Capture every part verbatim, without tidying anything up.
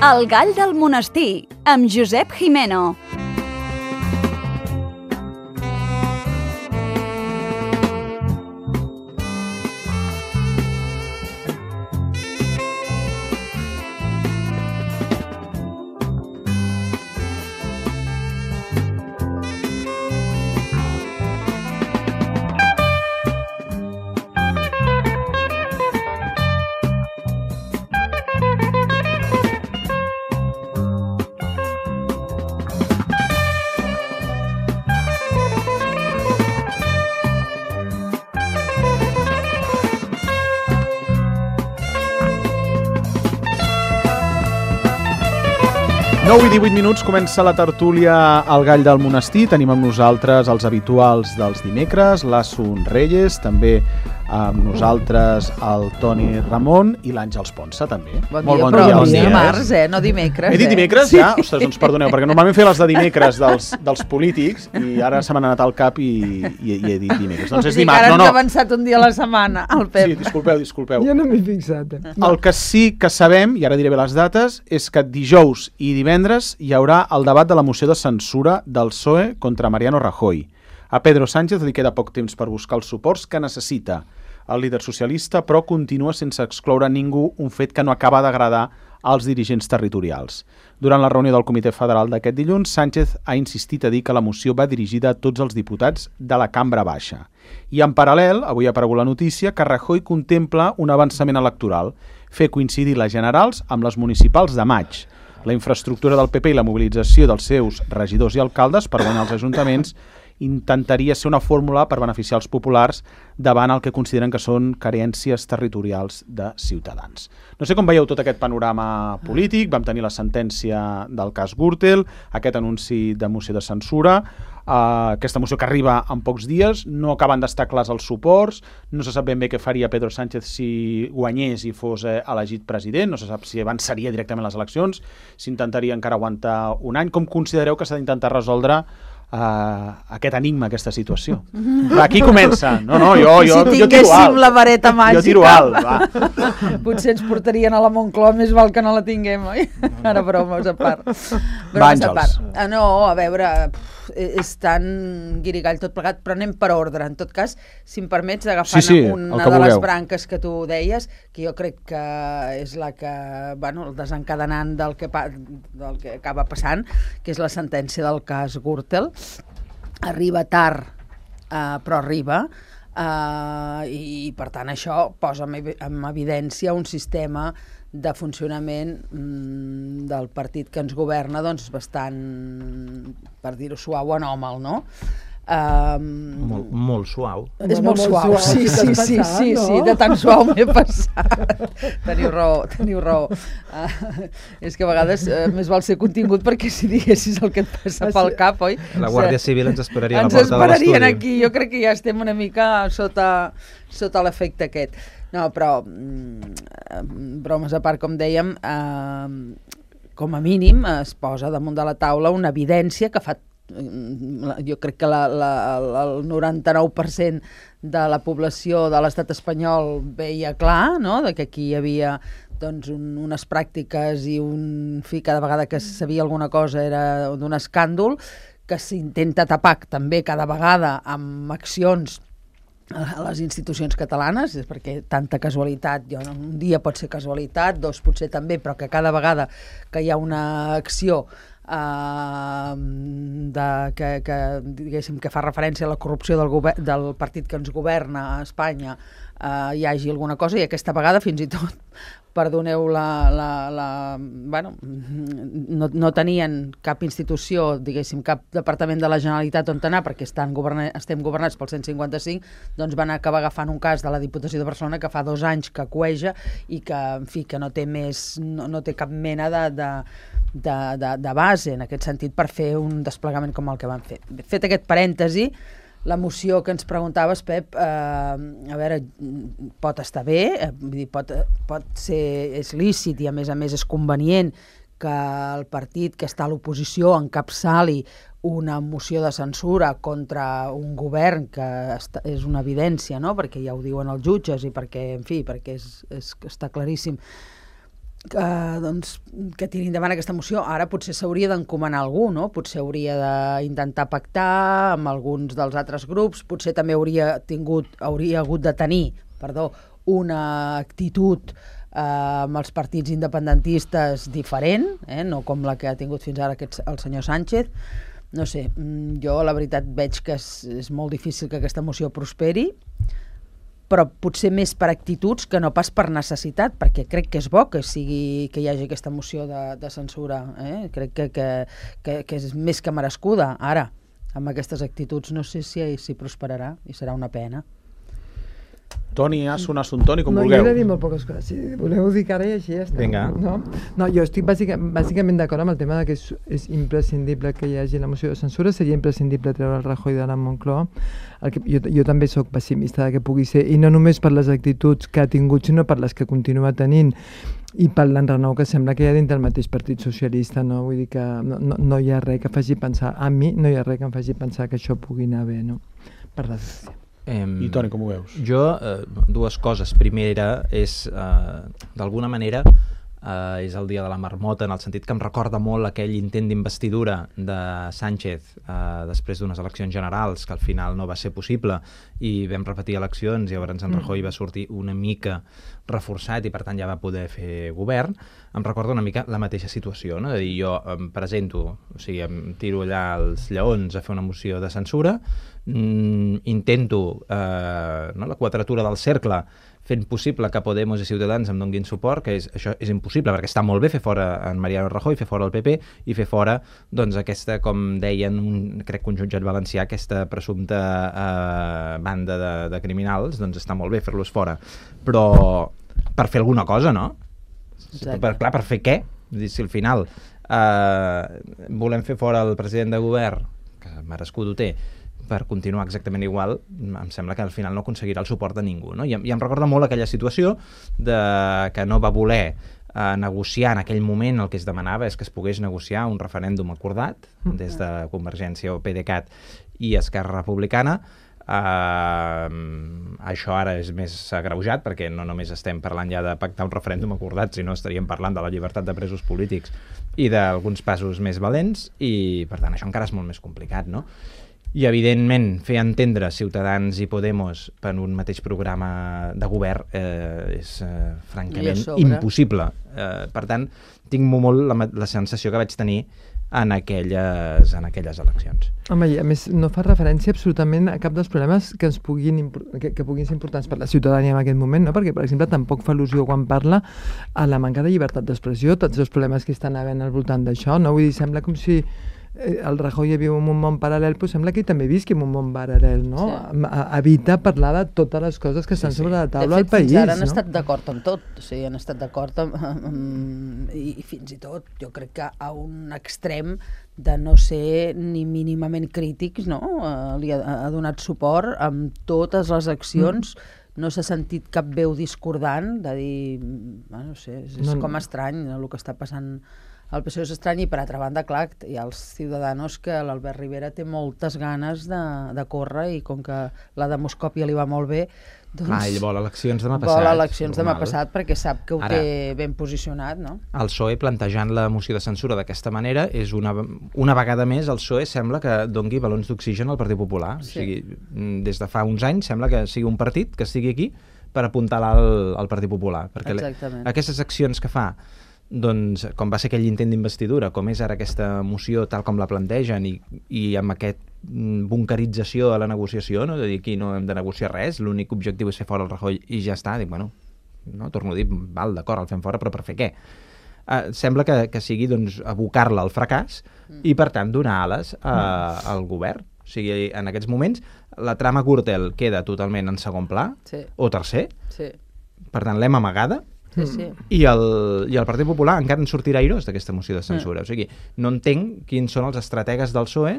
El gall del monestir, amb Josep Jimeno. nou i divuit minuts, comença la tertúlia al Gall del Monestir. Tenim amb nosaltres els habituals dels dimecres, l'Asun Reyes, també amb nosaltres el Toni Ramon i l'Àngels Ponsa, també. Bon Molt dia, bon però dia. bon dia, dimarts, eh? No dimecres. He dit dimecres, eh? ja? Ostres, doncs perdoneu, perquè normalment feia les de dimecres dels, dels polítics i ara se m'han anat al cap i, i, i he dit dimecres. Doncs és dimarts, no, no. Ara ens ha avançat un dia a la setmana, el Pep. Sí, disculpeu, disculpeu. Jo no m'he fixat. Eh? El que sí que sabem, i ara diré bé les dates, és que dijous i divendres hi haurà el debat de la moció de censura del P S O E contra Mariano Rajoy. A Pedro Sánchez li queda poc temps per buscar els suports que necessita. El líder socialista, però, continua sense excloure ningú, un fet que no acaba d'agradar als dirigents territorials. Durant la reunió del Comitè Federal d'aquest dilluns, Sánchez ha insistit a dir que la moció va dirigida a tots els diputats de la cambra baixa. I en paral·lel, avui ha aparegut la notícia que Rajoy contempla un avançament electoral, fer coincidir les generals amb les municipals de maig. La infraestructura del P P i la mobilització dels seus regidors i alcaldes per guanyar els ajuntaments intentaria ser una fórmula per beneficiar els populars davant el que consideren que són carències territorials de Ciutadans. No sé com veieu tot aquest panorama polític. Vam tenir la sentència del cas Gürtel, aquest anunci de moció de censura, Uh, aquesta moció que arriba en pocs dies, no acaben d'estar clars els suports, no se sap ben bé què faria Pedro Sánchez si guanyés i fos eh, elegit president, no se sap si avançaria directament les eleccions, s'intentaria encara aguantar un any. Com considereu que s'ha d'intentar resoldre uh, aquest enigma, aquesta situació? Va, aquí comença. No, no, jo, jo, si jo tiro alt. la vareta màgica, jo tiro alt, va. potser ens portarien a la Moncloa, més val que no la tinguem, oi? Ara bromes a part. Bromes a part. Ah, no, a veure, és tan guirigall tot plegat, però anem per ordre. En tot cas, si em permets, agafant sí, sí, una de les branques que tu deies, que jo crec que és la que, bueno, el desencadenant del que, del que acaba passant, que és la sentència del cas Gürtel. Arriba tard, eh, però arriba, eh, i per tant això posa en evidència un sistema de funcionament mm, del partit que ens governa, doncs bastant, per dir-ho suau, anòmal, no? Um, molt, molt suau. És molt, molt suau, suau, sí, sí, sí, passat, sí, no? Sí, de tan suau m'he passat. Teniu raó, teniu raó. Uh, és que a vegades uh, més val ser contingut, perquè si diguessis el que et passa pel cap, oi? La Guàrdia Civil ens esperaria a la ens porta de l'estudi. Ens esperarien aquí, jo crec que ja estem una mica sota, sota l'efecte aquest. No, però, mm, bromes a part, com dèiem, eh, com a mínim es posa damunt de la taula una evidència que fa, jo crec que la, la, el noranta-nou per cent de la població de l'estat espanyol veia clar, no?, de que aquí hi havia doncs, un, unes pràctiques i un fi, cada vegada que sabia alguna cosa era d'un escàndol, que s'intenta tapar també cada vegada amb accions a les institucions catalanes, perquè tanta casualitat, jo, un dia pot ser casualitat, dos potser també, però que cada vegada que hi ha una acció eh, de, que, que, diguéssim, que fa referència a la corrupció del, govern, del partit que ens governa a Espanya, eh, hi hagi alguna cosa, i aquesta vegada fins i tot, perdoneu la... la, la bueno, no, no tenien cap institució, diguéssim, cap departament de la Generalitat on anar, perquè estan governa, estem governats pel cent cinquanta-cinc, doncs van acabar agafant un cas de la Diputació de Barcelona que fa dos anys que cueja i que, en fi, que no té més, no, no té cap mena de, de, de, de, de base, en aquest sentit, per fer un desplegament com el que van fer. Fet aquest parèntesi, la moció que ens preguntaves, Pep, eh, a veure, pot estar bé, eh, vull dir, pot, pot ser, és lícit i a més a més és convenient que el partit que està a l'oposició encapçali una moció de censura contra un govern que està, és una evidència, no?, perquè ja ho diuen els jutges i perquè, en fi, perquè és, és, està claríssim. que, doncs, que tiri endavant aquesta moció. Ara potser s'hauria d'encomanar algú, no? Potser hauria d'intentar pactar amb alguns dels altres grups, potser també hauria tingut, hauria hagut de tenir, perdó, una actitud eh, amb els partits independentistes diferent, eh? No com la que ha tingut fins ara aquest, el senyor Sánchez. No sé, jo la veritat veig que és, és molt difícil que aquesta moció prosperi, però potser més per actituds que no pas per necessitat, perquè crec que és bo que sigui que hi hagi aquesta moció de, de censura. Eh? Crec que, que, que, que és més que merescuda. Ara, amb aquestes actituds no sé si, si prosperarà i serà una pena. Toni, Asun, Asun, Toni, com no, vulgueu. No, jo he de dir molt poques coses. Si voleu dir que ara i així ja està. Vinga. No, no jo estic bàsica, bàsicament d'acord amb el tema de que és, és imprescindible que hi hagi la moció de censura, seria imprescindible treure el Rajoy de la Moncloa. El que, jo, jo també sóc pessimista de que pugui ser, i no només per les actituds que ha tingut, sinó per les que continua tenint, i per l'enrenou que sembla que hi ha dintre el mateix Partit Socialista. No? Vull dir que no, no, no hi ha res que faci pensar, a mi no hi ha res que em faci pensar que això pugui anar bé, no? Per desgràcia. Eh, I Toni, com ho veus? Jo, eh, dues coses. Primera és, eh, d'alguna manera, eh, és el dia de la marmota, en el sentit que em recorda molt aquell intent d'investidura de Sánchez eh, després d'unes eleccions generals, que al final no va ser possible, i vam repetir eleccions, i llavors en Rajoy va sortir una mica reforçat i per tant ja va poder fer govern. Em recorda una mica la mateixa situació, no? De dir, jo em presento, o sigui, em tiro allà els lleons a fer una moció de censura, mm, intento eh, no, la quadratura del cercle fent possible que Podemos i Ciutadans em donguin suport, que és, això és impossible, perquè està molt bé fer fora en Mariano Rajoy, fer fora el P P i fer fora, doncs, aquesta, com deien, un, crec que un jutjat valencià, aquesta presumpta eh, banda de, de criminals, doncs està molt bé fer-los fora. Però per fer alguna cosa, no? Per, clar, per fer què? Si al final eh, volem fer fora el president de govern, que merescut ho té, per continuar exactament igual, em sembla que al final no aconseguirà el suport de ningú, no? I, i em recorda molt aquella situació de que no va voler eh, negociar en aquell moment. El que es demanava és que es pogués negociar un referèndum acordat des de Convergència o PDeCAT i Esquerra Republicana. Uh, això ara és més agreujat perquè no només estem parlant ja de pactar un referèndum acordat, sinó estaríem parlant de la llibertat de presos polítics i d'alguns passos més valents, i per tant això encara és molt més complicat, no? I evidentment fer entendre Ciutadans i Podemos per un mateix programa de govern eh, és eh, francament impossible. Eh, per tant, tinc molt la, la sensació que vaig tenir en aquelles, en aquelles eleccions. Home, i a més no fa referència absolutament a cap dels problemes que ens puguin, que, que puguin ser importants per la ciutadania en aquest moment, no? Perquè, per exemple, tampoc fa al·lusió quan parla a la manca de llibertat d'expressió, tots els problemes que estan havent al voltant d'això, no? Vull dir, sembla com si el Rajoy viu en un món paral·lel, però sembla que ell també visqui en un món paral·lel, no? Sí. Evita parlar de totes les coses que estan sí, sí. sobre la taula al país. De fet, fins ara han no? estat d'acord amb tot, o sigui, han estat d'acord amb, amb, i, i fins i tot jo crec que a un extrem de no ser ni mínimament crítics, no? Uh, li ha, ha donat suport amb totes les accions, mm. no s'ha sentit cap veu discordant de dir, bueno, no sé, és, és no, com estrany el que està passant. El P S O E és estrany, i per altra banda, clar, hi ha els Ciudadanos que l'Albert Rivera té moltes ganes de, de córrer, i com que la demoscòpia li va molt bé, doncs... Ah, ell vol eleccions demà passat. Vol eleccions demà passat perquè sap que ho Ara, té ben posicionat, no? El P S O E plantejant la moció de censura d'aquesta manera és una, una vegada més el P S O E sembla que dongui balons d'oxigen al Partit Popular. Sí. O sigui, des de fa uns anys sembla que sigui un partit que estigui aquí per apuntalar al, al Partit Popular. Perquè le, aquestes accions que fa, doncs, com va ser aquell intent d'investidura, com és ara aquesta moció tal com la plantegen, i, i amb aquest bunkerització a la negociació, no? De dir aquí no hem de negociar res, l'únic objectiu és fer fora el Rajoy i ja està. Dic, bueno, no, torno a dir, val, d'acord, el fem fora, però per fer què? Uh, sembla que, que sigui, doncs, abocar-la al fracàs i, per tant, donar ales uh, al govern. O sigui, en aquests moments, la trama Gürtel queda totalment en segon pla, sí. o tercer, sí. Per tant, l'hem amagada. Sí, sí. I, el, i el Partit Popular encara en sortirà airós d'aquesta moció de censura. Mm. O sigui, no entenc quins són els estrategues del P S O E,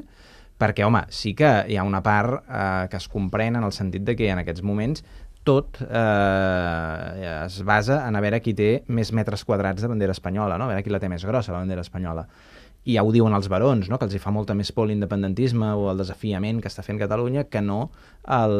perquè, home, sí que hi ha una part eh, que es comprèn en el sentit de que en aquests moments tot eh, es basa en a veure qui té més metres quadrats de bandera espanyola, no? A veure qui la té més grossa, la bandera espanyola. I ja ho diuen els barons, no? Que els hi fa molta més por l'independentisme o el desafiament que està fent Catalunya que no el,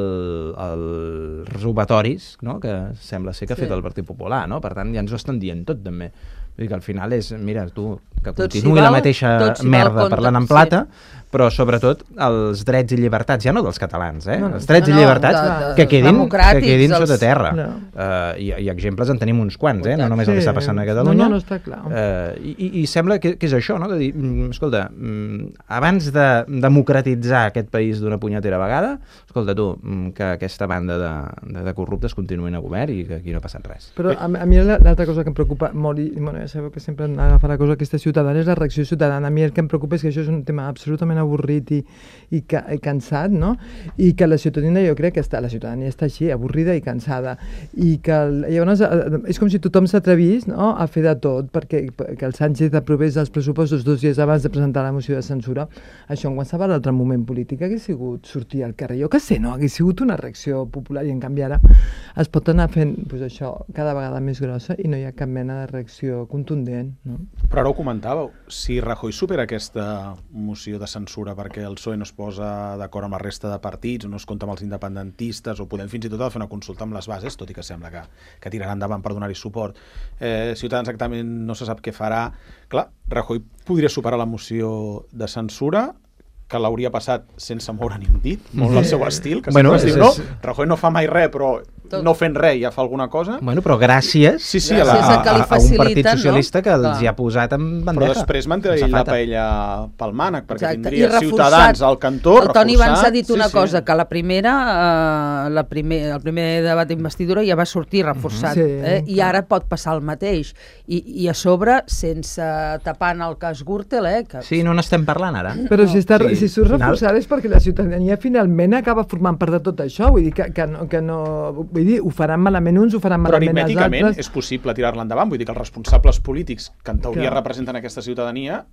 el robatoris, no?, que sembla ser que ha Sí. fet el Partit Popular, no? Per tant, ja ens ho estan dient tot, també. Vull dir que al final és, mira, tu, que Tot s'hi continuï val, la mateixa tot s'hi val merda contra- parlant en sí. plata, però sobretot els drets i llibertats, ja no dels catalans, eh? No, no. Els drets No, i no, llibertats de- de- que quedin, que democràtics, quedin els- sota terra. No. Uh, i, I exemples en tenim uns quants, eh? No només el que Sí. està passant a Catalunya. No, no, no està clar. Uh, i, i- I sembla que, que és això, no?, de dir, mm, escolta, mm, abans de democratitzar aquest país d'una punyetera vegada, escolta tu, mm, que aquesta banda de, de, de corruptes continuïn a govern i que aquí no ha passat res. Però a, a mi la- l'altra cosa que em preocupa molt, i bueno, ja sabeu que sempre agafa la cosa aquesta ciutadana, és la reacció ciutadana. A mi el que em preocupa és que això és un tema absolutament avorrit i, i, ca, i cansat, no? I que la ciutadania, jo crec que està, la ciutadania està així, avorrida i cansada. I que el, llavors eh, és com si tothom s'atrevís, no?, a fer de tot perquè que el Sánchez aprovés els pressupostos dos dies abans de presentar la moció de censura. Això en qualsevol altre moment polític hagués sigut sortir al carrer. Jo que sé, no? Hagués sigut una reacció popular i en canvi ara es pot anar fent pues, això cada vegada més grossa i no hi ha cap mena de reacció contundent, no? Però ara ho comentàveu, si Rajoy supera aquesta moció de censura perquè el P S O E no es posa d'acord amb la resta de partits o no es compta amb els independentistes o podem fins i tot fer una consulta amb les bases, tot i que sembla que, que tirarà endavant per donar-hi suport, eh, Ciutadans exactament no se sap què farà. Clar, Rajoy podria superar la moció de censura, que l'hauria passat sense moure ni un dit, molt al seu estil, que Bueno, bueno, es diu, és- no, és- Rajoy no fa mai res, però Tot. no fent res ja fa alguna cosa. Bueno, però gràcies, Sí, sí, a, a la- a, que li a, a un partit faciliten, socialista no? que els Clar. hi ha posat en Però bandeja. després manté en ell la safata. paella pel mànec, perquè Exacte. tindria I reforçat. Ciutadans al cantó, El Toni reforçat. abans ha dit una Sí, sí. cosa, que la primera, eh, la primer, el primer debat d'investidura ja va sortir reforçat, Sí, eh? I clar. ara pot passar el mateix. I, i a sobre, sense tapant el cas Gürtel, eh? Que... Sí, no n'estem parlant ara. Però si, està, Sí, si surt al final- reforçada és perquè la ciutadania finalment acaba formant part de tot això, vull dir que, que, no, que no... Vull dir, ho faran malament uns, ho faran Però malament els aritmèticament altres. és possible tirar-la endavant. Vull dir que els responsables polítics que en teoria Clar. representen aquesta ciutadania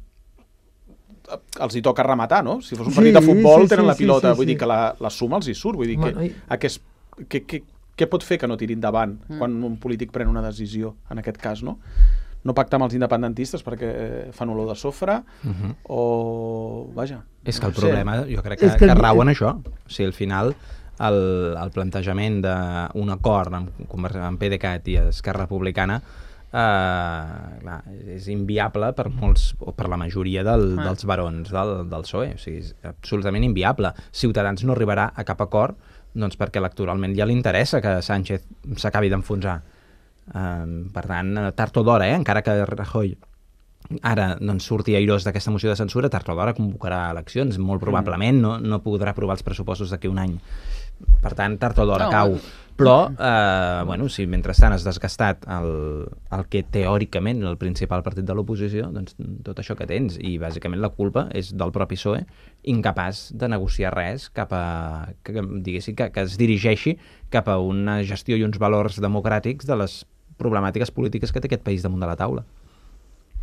eh, els hi toca rematar, no? Si fos un Sí, partit de futbol sí, tenen sí, la sí, pilota, sí, vull sí. dir que la, la suma els hi surt. Vull dir Bueno, que, i- aquest, que, que, què pot fer que no tiri endavant quan un polític pren una decisió, en aquest cas, no? No pactar amb els independentistes perquè fan olor de sofre Mhm. o... Vaja. És que el no sé. problema, jo crec que, És que, que que el- rau en això. O sigui, al final, el, el plantejament d'un acord amb, Conver- amb PDeCAT i Esquerra Republicana eh, clar, és inviable per molts, o per la majoria del, Ah. dels barons del, del P S O E. O sigui, és absolutament inviable. Ciutadans no arribarà a cap acord doncs perquè electoralment ja li interessa que Sánchez s'acabi d'enfonsar. Um, per tant, tard o d'hora, eh? Encara que Rajoy ara doncs, surti airós d'aquesta moció de censura, tard o d'hora convocarà eleccions, molt probablement no, no podrà aprovar els pressupostos d'aquí un any. Per tant, tard o d'hora No, cau. Però, eh, bueno, si mentrestant has desgastat el, el que teòricament és el principal partit de l'oposició, doncs tot això que tens, i bàsicament la culpa és del propi P S O E, incapaç de negociar res cap a, que, diguéssim, que, que es dirigeixi cap a una gestió i uns valors democràtics de les problemàtiques polítiques que té aquest país damunt de la taula.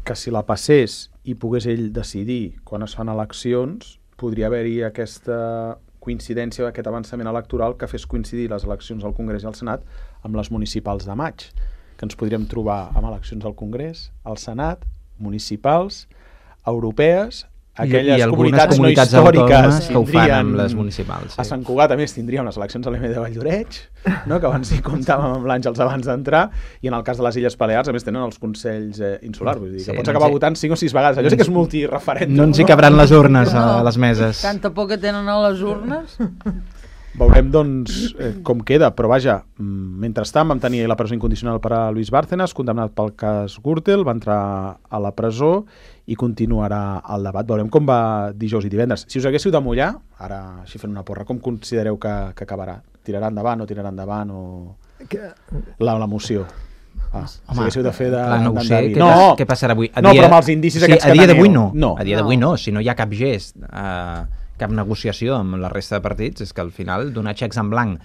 Que si la passés i pogués ell decidir quan es fan eleccions, podria haver-hi aquesta coincidència, aquest avançament electoral que fes coincidir les eleccions al Congrés i al Senat amb les municipals de maig, que ens podríem trobar amb eleccions al Congrés, al Senat, municipals, europees, aquelles I, i algunes comunitats, comunitats no històriques autònomes que ho fan tindrien- amb les municipals. A Sant Cugat, a més, tindríem les eleccions a l'E M de Valldoreix, no? Que abans hi comptàvem amb l'Àngels abans d'entrar, i en el cas de les Illes Balears, a més, tenen els Consells eh, Insulars, vull dir, Sí, que pots no acabar ens hi- votant cinc o sis vegades. Allò sí que és multireferèndum. No ens hi cabran les urnes a les meses. Tanta por que tenen a les urnes. Veurem, doncs, eh, com queda, però vaja, mm, mentrestant vam tenir la presó incondicional per a Luis Bárcenas, condemnat pel cas Gürtel, va entrar a la presó i continuarà el debat. Veurem com va dijous i divendres. Si us haguéssiu de mullar, ara així fent una porra, com considereu que, que acabarà? Tirarà endavant o tirarà endavant o... Que, La, la moció. Ah, si Home, haguéssiu de fer de... clar, no ho sé, d'endeví. què, no, pas, què passarà avui? A no, però amb els indicis sí, aquests a que dia teniu. d'avui no. No. A dia No. d'avui no, si no hi ha cap gest, eh, cap negociació amb la resta de partits, és que al final donar xecs en blanc.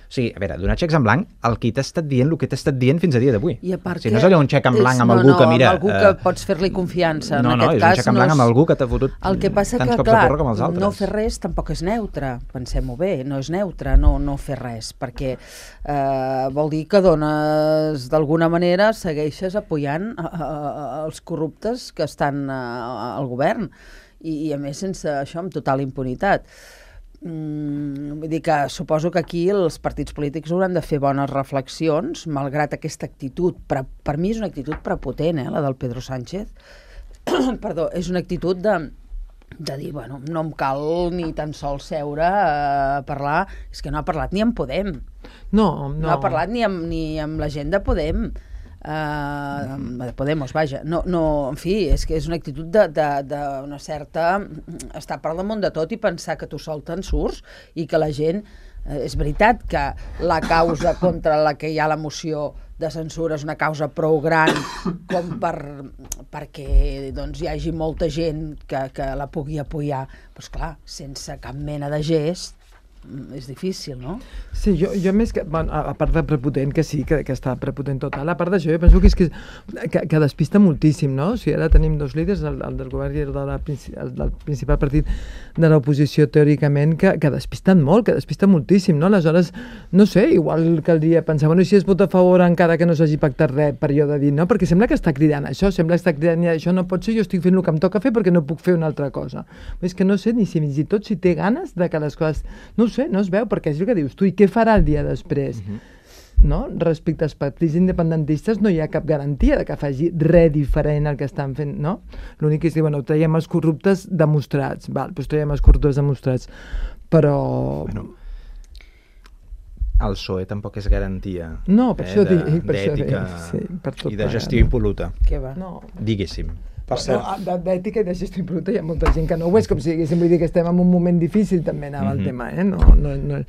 O sigui, a veure, donar xecs en blanc, el qui t'ha estat dient, el que t'ha estat dient fins a dia d'avui. I a part si que no és allò un xec en blanc és- amb no, algú no, que mira... amb algú que pots fer-li confiança. No, en no, aquest és cas, un xec en no blanc és- amb algú que t'ha fotut El que passa tants que, cops clar, de porra com els altres. no fer res tampoc és neutre, pensem-ho bé, no és neutre no, no fer res, perquè eh, vol dir que dones, d'alguna manera, segueixes apoyant a, a, a, els corruptes que estan a, a, al govern, i, i a més sense això, amb total impunitat. Mm, vull dir que suposo que aquí els partits polítics hauran de fer bones reflexions, malgrat aquesta actitud, per, per mi és una actitud prepotent, eh, la del Pedro Sánchez. Perdó, és una actitud de, de dir, bueno, no em cal ni tan sols seure a parlar, és que no ha parlat ni amb Podem. No, no. No ha parlat ni amb, ni amb la gent de Podem. Uh, de Podemos, vaja. No, no, en fi, és que és una actitud d'una certa... estar per damunt de tot i pensar que tu sol te'n surts i que la gent... Eh, és veritat que la causa contra la que hi ha la moció de censura és una causa prou gran com per, perquè doncs, hi hagi molta gent que, que la pugui apoyar. Però, esclar, sense cap mena de gest, és difícil, no? Sí, jo, jo més que... Bueno, a part de prepotent, que sí, que, que està prepotent total, a part d'això, jo penso que, és que, que, que despista moltíssim, no? O sigui, ara tenim dos líders, el, el del govern i el, de la, el del principal partit de l'oposició, teòricament, que, que despisten molt, que despisten moltíssim, no? Aleshores, no sé, igual caldria pensar, bueno, si es vota a favor encara que no s'hagi pactat res, per jo de dir, no? Perquè sembla que està cridant això, sembla que està cridant, això no pot ser, jo estic fent el que em toca fer perquè no puc fer una altra cosa. És que no sé ni si fins i tot si té ganes de que les coses... No ho sé, no es veu, perquè és el que dius tu, i què farà el dia després? Uh-huh. No? Respecte als partits independentistes no hi ha cap garantia de que faci res diferent al que estan fent, no? L'únic és dir, bueno, traiem els corruptes demostrats, val, doncs traiem els corruptes demostrats, però... Bueno, el P S O E tampoc és garantia no, per eh, això dic, per d'ètica sí, per tot i de gestió no. impol·luta. Què va? No. Diguéssim. Per cert. No, d'ètica i de gestió impol·luta hi ha molta gent que no ho és, com si diguéssim, vull dir que estem en un moment difícil també anava mm-hmm. el tema, eh? No, no, no...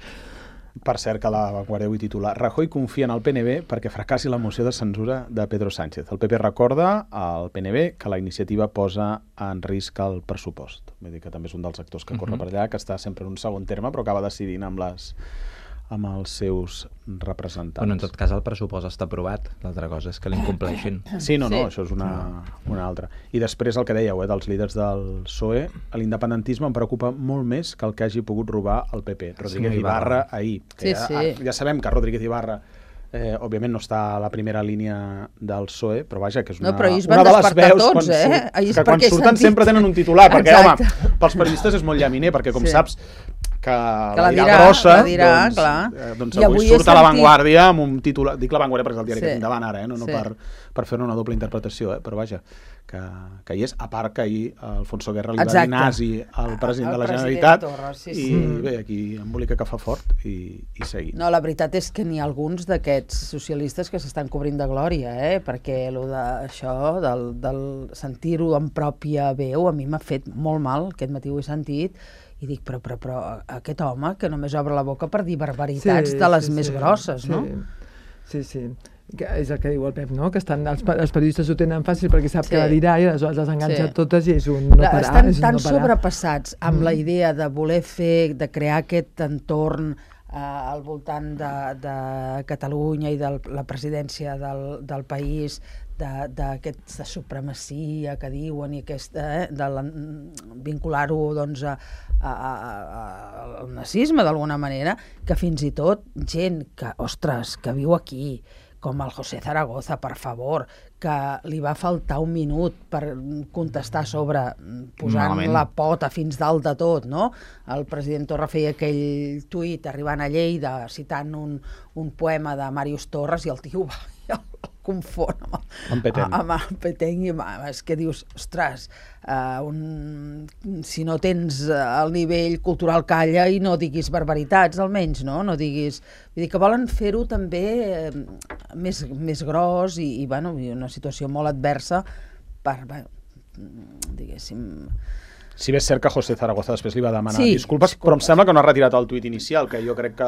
Per cert, que la Vanguardia avui titular Rajoy confia en el P N B perquè fracassi la moció de censura de Pedro Sánchez. El P P recorda al P N B que la iniciativa posa en risc el pressupost. Vull dir que també és un dels actors que corre mm-hmm. per allà, que està sempre en un segon terme, però acaba decidint amb les... amb els seus representants. Bueno, en tot cas el pressupost està aprovat, l'altra cosa és que l'incompleixin. Sí, no, no, Sí. això és una, una altra. I després el que dèieu, eh, dels líders del P S O E, l'independentisme em preocupa molt més que el que hagi pogut robar el P P. Rodríguez Sí, Ibarra ahir. Sí, ja, sí. ja sabem que Rodríguez Ibarra eh, òbviament no està a la primera línia del P S O E, però vaja, que és una, No, però ahir es una van de les despertar veus tots, quan eh? surt, Ahir és que quan perquè surten sentit- sempre tenen un titular, perquè, Exacte. home, pels periodistes és molt llaminer, perquè com Sí. saps que, Que la la dirà dirà, grossa, la dirà, doncs, clar. eh, doncs I avui avui he surt a La sentit- Vanguardia amb un titular, dic La Vanguardia perquè és el diari Sí. que tinc davant ara, eh? no, no Sí. per, per fer una doble interpretació, eh? però vaja, que, que hi és, a part que ahir Alfonso Guerra li va Exacte. dir nazi al president Al de la president Generalitat Torra, sí, i sí. bé, aquí embolica que fa fort i, i seguim. No, la veritat és que n'hi ha alguns d'aquests socialistes que s'estan cobrint de glòria, eh? Perquè lo de, això, del, del sentir-ho en pròpia veu, a mi m'ha fet molt mal, aquest matí ho he sentit, i dic, però, però, però aquest home que només obre la boca per dir barbaritats de les més grosses, sí. no? Sí, sí. Que és el que diu el Pep, no? Que estan, els, els periodistes ho tenen fàcil perquè sap Sí. que la dirà i aleshores les enganxa Sí. totes i és un no parar. Estan és un tan no parar. sobrepassats amb Mm. la idea de voler fer, de crear aquest entorn eh, al voltant de, de Catalunya i de la presidència del, del país, d'aquesta supremacia que diuen i aquesta, eh, de la, vincular-ho doncs, a, a, a, a, al nazisme d'alguna manera, que fins i tot gent que, ostres, que viu aquí, com el José Zaragoza, per favor, que li va faltar un minut per contestar sobre posant Malament. la pota fins dalt de tot, no? El president Torra feia aquell tuit arribant a Lleida citant un, un poema de Màrius Torres i el tio va el confon amb, Amb Petén. amb el Petén i amb, és que dius, ostres, uh, un, si no tens el nivell cultural calla i no diguis barbaritats almenys, no? No diguis... Vull dir que volen fer-ho també eh, més, més gros i, i, bueno, i una situació molt adversa per, bueno, diguéssim... Si bé és cert que José Zaragoza després li va demanar Sí, disculpes, disculpes. però em sembla que no ha retirat el tuit inicial, que jo crec que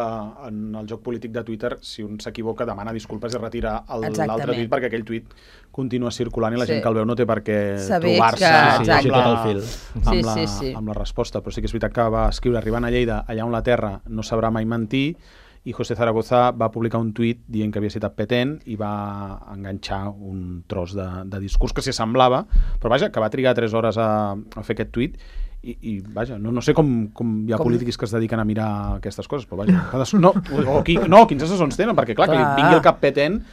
en el joc polític de Twitter, si un s'equivoca, demana disculpes i retira el- Exactament. l'altre tuit perquè aquell tuit continua circulant i la Sí. gent que el veu no té per què Saber trobar-se que- amb, Exacte. llegir tot el fil. amb, Sí, la, sí, sí. amb la resposta. Però sí que és veritat que va escriure arribant a Lleida, allà on la terra no sabrà mai mentir, i José Zaragoza va publicar un tuit dient que havia citat Petén i va enganxar un tros de, de discurs que s'hi semblava, però vaja, que va trigar tres hores a, a fer aquest tuit i, i vaja, no, no sé com, com hi ha Com? polítics que es dediquen a mirar aquestes coses, però vaja, cadascú, no, o qui, no, quins assessors tenen, perquè clar, clar, que Clar. li vingui el cap Petén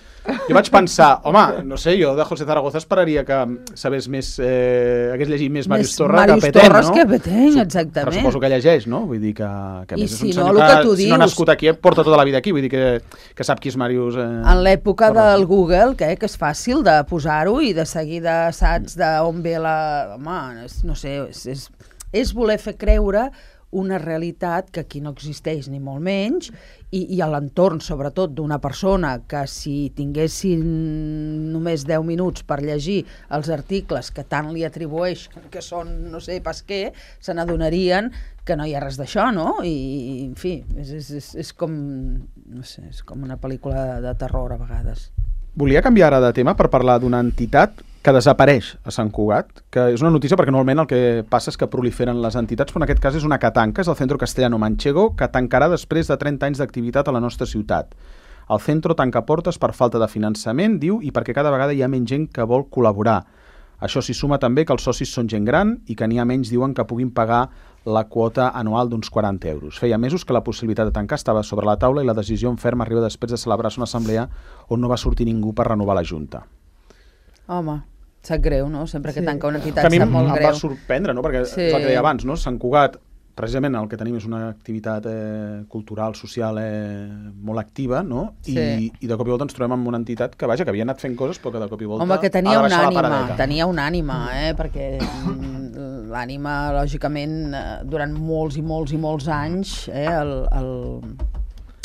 jo vaig pensar, home, no sé, jo de José Zaragoza esperaria que sabés més, eh, hagués llegit més Màrius Torres que Petén, no? Torres que Petén, exactament. Però suposo que llegeix, no? Vull dir que, que I més si és un no, senyor el que tu si no ha dius- nascut aquí, porta tota la vida aquí, vull dir que, que sap qui és Màrius... Eh, En l'època Torres. del Google, que, que és fàcil de posar-ho i de seguida saps d'on ve la... Home, és- no sé, és, és, és voler fer creure una realitat que aquí no existeix ni molt menys i, i a l'entorn, sobretot, d'una persona que si tinguessin només deu minuts per llegir els articles que tant li atribueix, que són no sé pas què, se n'adonarien que no hi ha res d'això, no? I, en fi, és, és, és, és com, no sé, és com una pel·lícula de terror a vegades. Volia canviar ara de tema per parlar d'una entitat que desapareix a Sant Cugat, que és una notícia perquè normalment el que passa és que proliferen les entitats, però en aquest cas és una que tanca, és el Centro Castellano Manchego, que tancarà després de trenta anys d'activitat a la nostra ciutat. El centro tanca portes per falta de finançament, diu, i perquè cada vegada hi ha menys gent que vol col·laborar. Això s'hi suma també que els socis són gent gran i que n'hi ha menys, diuen, que puguin pagar la quota anual d'uns quaranta euros. Feia mesos que la possibilitat de tancar estava sobre la taula i la decisió en ferma arriba després de celebrar-se una assemblea on no va sortir ningú per renovar la Junta. Home, sap greu, no? Sempre que Sí. tanca una Que entitat a mi sap em molt va greu. sorprendre, no? Perquè Sí. és el que deia abans, no? Sant Cugat, precisament el que tenim és una activitat eh, cultural, social eh, molt activa, no? I, Sí. I de cop i volta ens trobem amb una entitat que, vaja, que havia anat fent coses, però que de cop i volta Home, que ha tenia de una baixar la ànima, paradeta. tenia una ànima, eh? Perquè mm, l'ànima, lògicament, eh, durant molts i molts i molts anys, eh? El, el...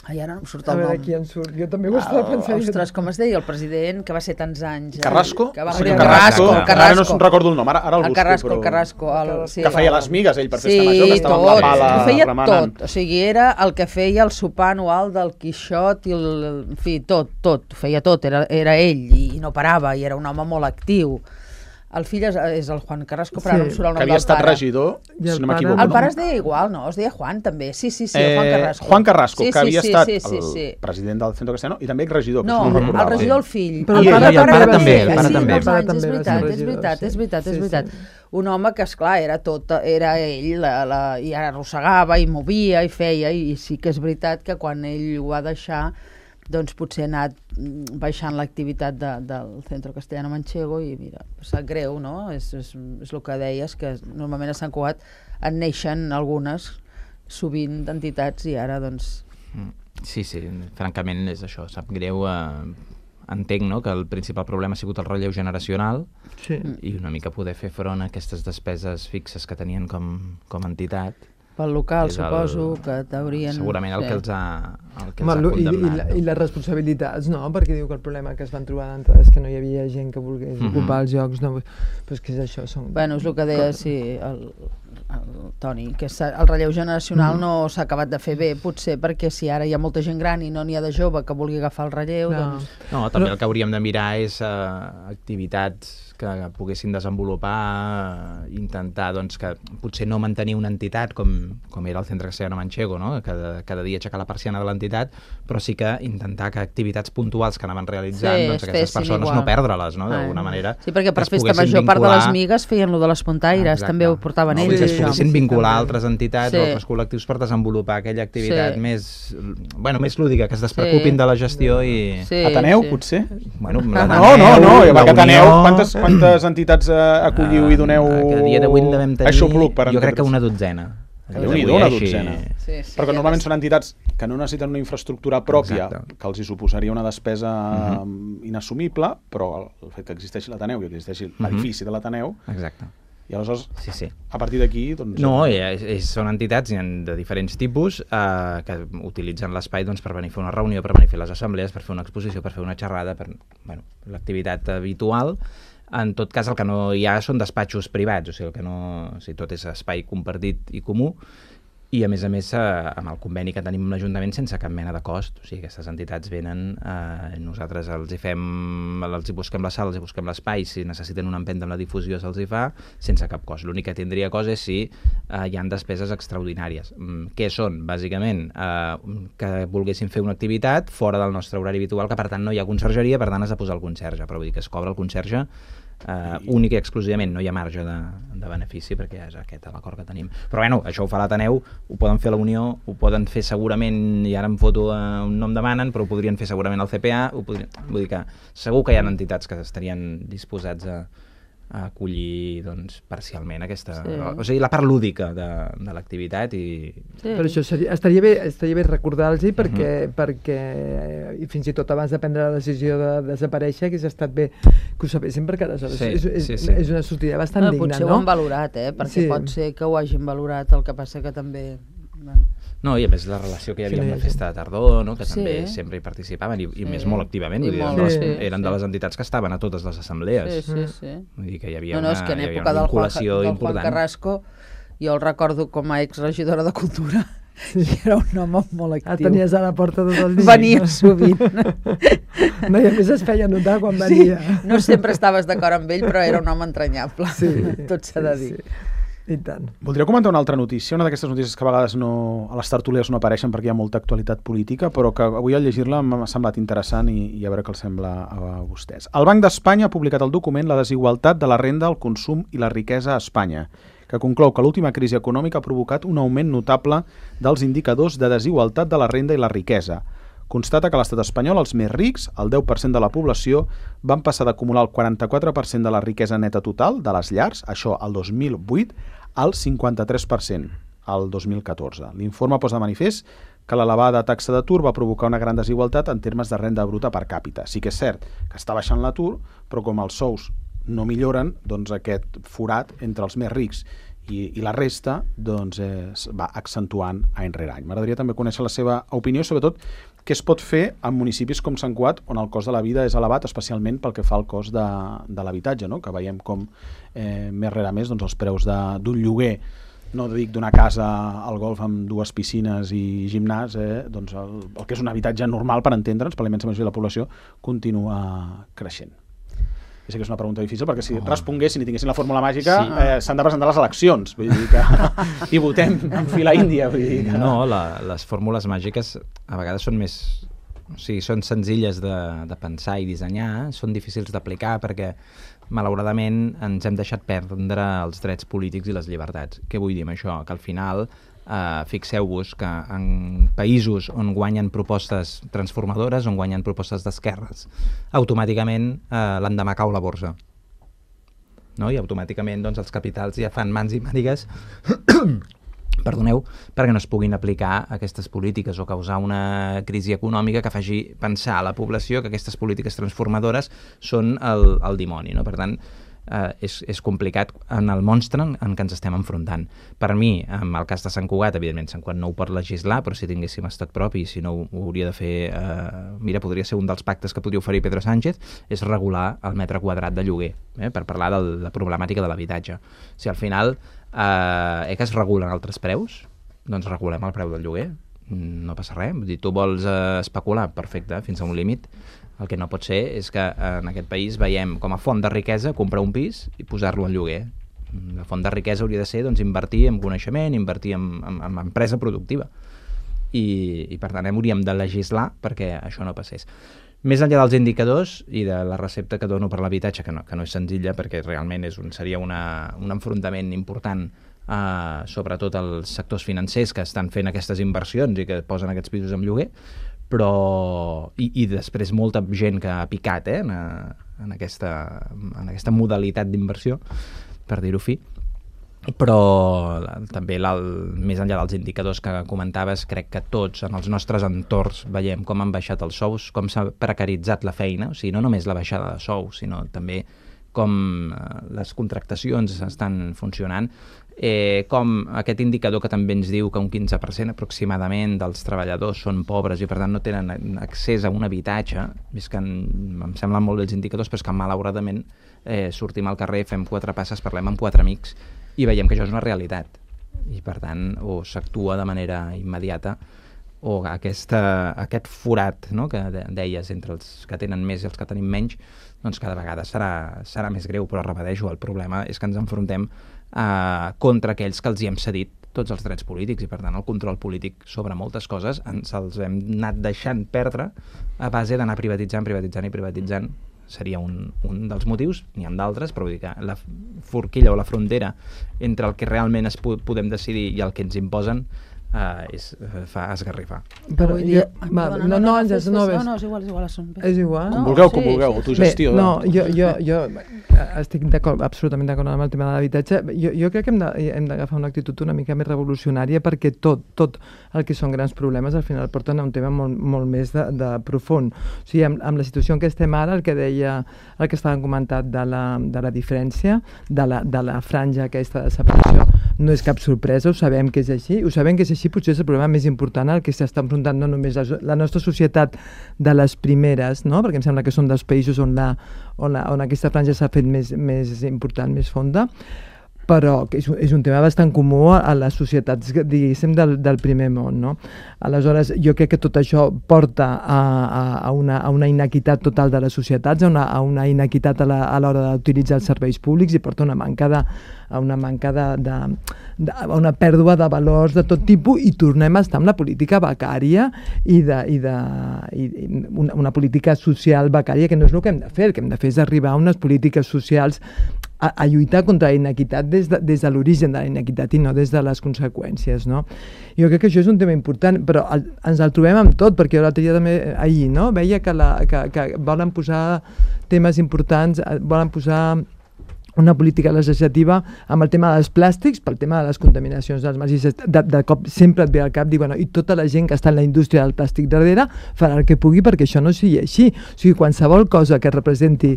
Ai, ara no em surt A el veure, nom. qui en surt. Jo també ho estava El, pensant. ostres, com es deia el president, que va ser tants anys? eh? Carrasco? Que va Sí, morir el Carrasco, Carrasco. el Carrasco. Ara no se'n recordo el nom, ara, ara el, el busco. Carrasco, però... el Carrasco. El, sí, que feia les migues, ell, per festa sí, major, que estava amb tot, la pala ho feia remenant. tot. O sigui, era el que feia el sopar anual del Quixot i el... En fi, tot, tot. Ho feia tot. Era, era ell i no parava i era un home molt actiu. El fill és, és el Juan Carrasco, però Sí. ara no em surt el nom Que havia del estat pare. regidor, I el si no pare- m'equivoco. El no? pare es deia igual, no? Es deia Juan, també. Sí, sí, sí, el Juan Eh, Carrasco. Juan Carrasco, sí, que havia sí, estat sí, sí, el sí. president del Centro Castellano i també regidor, que No, si no el recordava. regidor el fill. Però el pare- i el pare també, el pare sí, també. molts El pare anys, és també va ser veritat, és regidor, veritat, sí. és veritat, és Sí, veritat. sí. Un home que, esclar, era tot, era ell, la, la, i arrossegava, i movia, i feia, i sí que és veritat que quan ell ho va deixar, doncs potser ha anat mm, baixant l'activitat de, del Centro Castellano Manchego i mira, sap greu, no? És, és, és el que deies, que normalment a Sant Cugat en neixen algunes, sovint d'entitats, i ara doncs... Sí, sí, francament és això, sap greu. Eh, entenc, no?, que el principal problema ha sigut el relleu generacional Sí. i una mica poder fer front a aquestes despeses fixes que tenien com, com a entitat. Pel local, És el- suposo, que t'haurien... Segurament el sí. que els ha, el que Home, els ha lo- i, i, condemnat. la- I les responsabilitats, no? Perquè diu que el problema que es van trobar d'entrada és que no hi havia gent que volgués Mhm. ocupar els llocs, no? Però és que és això, són... Bueno, és el que deia, sí, el, el Toni, que s'ha- el relleu generacional Mhm. no s'ha acabat de fer bé, potser perquè si ara hi ha molta gent gran i no n'hi ha de jove que vulgui agafar el relleu, Clar. doncs... No, també Però- el que hauríem de mirar és eh, activitats que poguessin desenvolupar, eh, intentar, doncs, que potser no mantenir una entitat com, com era el Centre Castellano Manchego, no? Cada, cada dia aixecar la persiana de l'entitat, però sí que intentar que activitats puntuals que anaven realitzant, Sí, doncs es aquestes fessin persones igual. no perdre-les, no? Ah. D'alguna manera. Sí, perquè per es festa poguessin major, part de les vincular- migues, feien lo de les pontaires, Exacte. també ho portaven no, ells, que es Sí, això. poguessin sí, vincular també. altres entitats Sí. o altres col·lectius per desenvolupar aquella activitat Sí. més, bueno, més lúdica, que es despreocupin Sí. de la gestió i... Sí, Ateneu, sí. potser? Bueno, No, no, no, la perquè Ateneu, Unió- quantes, quantes entitats eh, acolliu i doneu... Eh, que a dia d'avui en devem tenir, Aixopluc, per jo crec que entendre's. una dotzena. Que Déu-n'hi-do, una dotzena. Sí, sí, Perquè ja normalment ves. són entitats que no necessiten una infraestructura pròpia, Exacte. que els hi suposaria una despesa Uh uh inassumible, però el, el fet que existeixi l'Ateneu i que existeixi Mhm. l'edifici de l'Ateneu, Exacte. i aleshores, Sí, sí. a partir d'aquí... Doncs, No, és, és, són entitats n'hi ha de diferents tipus eh, que utilitzen l'espai doncs, per venir a fer una reunió, per venir a fer les assemblees, per fer una exposició, per fer una xerrada, per bueno, l'activitat habitual. En tot cas, el que no hi ha són despatxos privats, o sigui, el que no, o sigui, tot és espai compartit i comú, i a més a més eh, amb el conveni que tenim amb l'Ajuntament sense cap mena de cost, o sigui, aquestes entitats venen, eh, nosaltres els hi fem, els hi busquem la sala, els hi busquem l'espai, si necessiten una empenta amb la difusió se'ls hi fa, sense cap cost. L'únic que tindria cost és si eh, hi ha despeses extraordinàries. Mm, què són? Bàsicament, eh, que volguessin fer una activitat fora del nostre horari habitual, que per tant no hi ha consergeria, per tant has de posar el conserge, però vull dir que es cobra el conserge Uh, únic i exclusivament, no hi ha marge de, de benefici perquè és aquest l'acord que tenim. Però bueno, això ho fa l'Ateneu, ho poden fer a la Unió, ho poden fer segurament, i ara em foto uh, un nom demanen, però ho podrien fer segurament al C P A, ho podrien, vull dir que segur que hi ha entitats que estarien disposats a, a acollir doncs, parcialment aquesta... Sí. O sigui, la part lúdica de, de l'activitat i... Sí. Però això seria, estaria bé, estaria bé recordar-los perquè, uh -huh. perquè i fins i tot abans de prendre la decisió de desaparèixer hagués estat bé que ho sabessin perquè aleshores sí, és, és, sí, sí. és una sortida bastant no, digna, potser no? Potser ho han valorat, eh? Perquè sí. pot ser que ho hagin valorat, el que passa que també... No, i a més la relació que hi havia sí, amb la festa de tardor, no? Que sí. també sempre hi participaven, i, i sí. més molt activament, I vull dir, molt, les, sí, eren sí. de les entitats que estaven a totes les assemblees. Sí, sí, sí. Vull dir que hi havia no, no, una, és que en hi havia època una del vinculació Juan, del important. Juan Carrasco, jo el recordo com a exregidora de Cultura, i era un home molt actiu. Ah, tenies a la porta tot el dia. Venia sovint. No, i a més es feia notar quan venia. Sí, no sempre estaves d'acord amb ell, però era un home entranyable, sí, tot s'ha de dir. Sí, sí. I tant. Voldria comentar una altra notícia, una d'aquestes notícies que a vegades no, a les tertúlies no apareixen perquè hi ha molta actualitat política, però que avui al llegir-la m'ha semblat interessant i, i a veure què els sembla a vostès. El Banc d'Espanya ha publicat el document La desigualtat de la renda, el consum i la riquesa a Espanya, que conclou que l'última crisi econòmica ha provocat un augment notable dels indicadors de desigualtat de la renda i la riquesa. Constata que a l'estat espanyol els més rics, el deu per cent de la població, van passar d'acumular el quaranta-quatre per cent de la riquesa neta total de les llars, això el dos mil vuit, al cinquanta-tres per cent al dos mil catorze. L'informe posa de manifest que l'elevada taxa d'atur va provocar una gran desigualtat en termes de renda bruta per càpita. Sí que és cert que està baixant l'atur, però com els sous no milloren, doncs aquest forat entre els més rics i, i la resta doncs, eh, es va accentuant any rere any. M'agradaria també conèixer la seva opinió, sobretot què es pot fer en municipis com Sant Cugat, on el cost de la vida és elevat, especialment pel que fa al cost de, de l'habitatge, no? Que veiem com eh, més rere més doncs, els preus d'un lloguer, no dic d'una casa al golf amb dues piscines i gimnàs, eh, doncs el, el que és un habitatge normal per entendre'ns, per la immensa majoria de la població, continua creixent. Ja sé que és una pregunta difícil, perquè si oh. responguessin i tinguessin la fórmula màgica, sí. eh, s'han de presentar les eleccions, vull dir que i votem en fila índia. Vull dir que... No, la, les fórmules màgiques a vegades són més... O sigui, són senzilles de, de pensar i dissenyar, són difícils d'aplicar perquè, malauradament, ens hem deixat perdre els drets polítics i les llibertats. Què vull dir amb això? Que al final... Uh, fixeu-vos que en països on guanyen propostes transformadores, on guanyen propostes d'esquerres, automàticament uh, l'endemà cau la borsa, no? I automàticament doncs, els capitals ja fan mans i mànigues perdoneu, perquè no es puguin aplicar aquestes polítiques o causar una crisi econòmica que faci pensar a la població que aquestes polítiques transformadores són el, el dimoni, no? Per tant, Uh, és, és complicat en el monstre en, en què ens estem enfrontant. Per mi, en el cas de Sant Cugat, evidentment Sant Cugat no ho pot legislar, però si tinguéssim estat propi, si no ho, ho hauria de fer, uh, mira, podria ser un dels pactes que podria oferir Pedro Sánchez, és regular el metre quadrat de lloguer, eh, per parlar de la problemàtica de l'habitatge. Si al final uh, eh, que es regulen altres preus, doncs regulem el preu del lloguer, no passa res. Vull dir, tu vols uh, especular, perfecte, fins a un límit. El que no pot ser és que en aquest país veiem com a font de riquesa comprar un pis i posar-lo en lloguer. La font de riquesa hauria de ser doncs, invertir en coneixement, invertir en, en, en empresa productiva. I, i per tant hauríem de legislar perquè això no passés. Més enllà dels indicadors i de la recepta que dono per l'habitatge, que no, que no és senzilla perquè realment és un, seria una, un enfrontament important, uh, sobretot als sectors financers que estan fent aquestes inversions i que posen aquests pisos en lloguer, però i, i després molta gent que ha picat eh, en, en, aquesta, en aquesta modalitat d'inversió, per dir-ho fi. Però també més enllà dels indicadors que comentaves, crec que tots en els nostres entorns veiem com han baixat els sous, com s'ha precaritzat la feina, o sigui, no només la baixada de sous, sinó també com les contractacions estan funcionant, eh, com aquest indicador que també ens diu que un quinze per cent aproximadament dels treballadors són pobres i per tant no tenen accés a un habitatge, és que en, em semblen molt bé els indicadors, però és que malauradament eh, sortim al carrer, fem quatre passes, parlem amb quatre amics i veiem que això és una realitat i per tant o s'actua de manera immediata o aquesta, aquest forat, no?, que deies entre els que tenen més i els que tenim menys, doncs cada vegada serà, serà més greu, però repeteixo, el problema és que ens enfrontem eh, contra aquells que els hi hem cedit tots els drets polítics i per tant el control polític sobre moltes coses ens els hem anat deixant perdre a base d'anar privatitzant, privatitzant i privatitzant seria un, un dels motius, n'hi ha d'altres, però vull dir que la forquilla o la frontera entre el que realment es po podem decidir i el que ens imposen Uh, és, uh, fa esgarrifar. Però Vull dir, jo, ah, va, perdona, no, no, Àngels, fes, no, fes, ves. no, no, és igual, és igual, són bé. És igual. Com No, vulgueu, sí, com vulgueu, sí, tu sí. gestió. Bé, no, jo, jo, jo estic d'acord, absolutament d'acord amb el tema de l'habitatge. Jo, jo crec que hem de- hem d'agafar una actitud una mica més revolucionària perquè tot, tot el que són grans problemes al final porten a un tema molt, molt més de, de profund. O sigui, amb, amb la situació en què estem ara, el que deia, el que estàvem comentat de la, de la diferència, de la, de la franja aquesta de separació, no és cap sorpresa, ho sabem que és així, ho sabem que és així, potser és el problema més important al que s'està enfrontant no només la, la nostra societat de les primeres, no? Perquè em sembla que són dels països on, la, on, la, on aquesta franja s'ha fet més, més important, més fonda, però que és, un- és un tema bastant comú a, a les societats, diguéssim, del, del primer món, no? Aleshores, jo crec que tot això porta a, a, a, una, a una inequitat total de les societats, a una, a una inequitat a la- a l'hora d'utilitzar els serveis públics i porta una manca de, a una manca de, de, de, a una pèrdua de valors de tot tipus i tornem a estar amb la política becària i, de, i, de, i, i una, una política social becària que no és el que hem de fer, el que hem de fer és arribar a unes polítiques socials a, a lluitar contra la inequitat des de, des de l'origen de la inequitat i no des de les conseqüències, no? Jo crec que això és un tema important, però el, ens el trobem amb tot, perquè jo l'altre dia també, ahir, no? Veia que, la, que, que volen posar temes importants, eh, volen posar una política legislativa amb el tema dels plàstics, pel tema de les contaminacions dels mars, i de, de cop sempre et ve al cap, dir, bueno, i tota la gent que està en la indústria del plàstic darrere farà el que pugui perquè això no sigui així. O sigui, qualsevol cosa que representi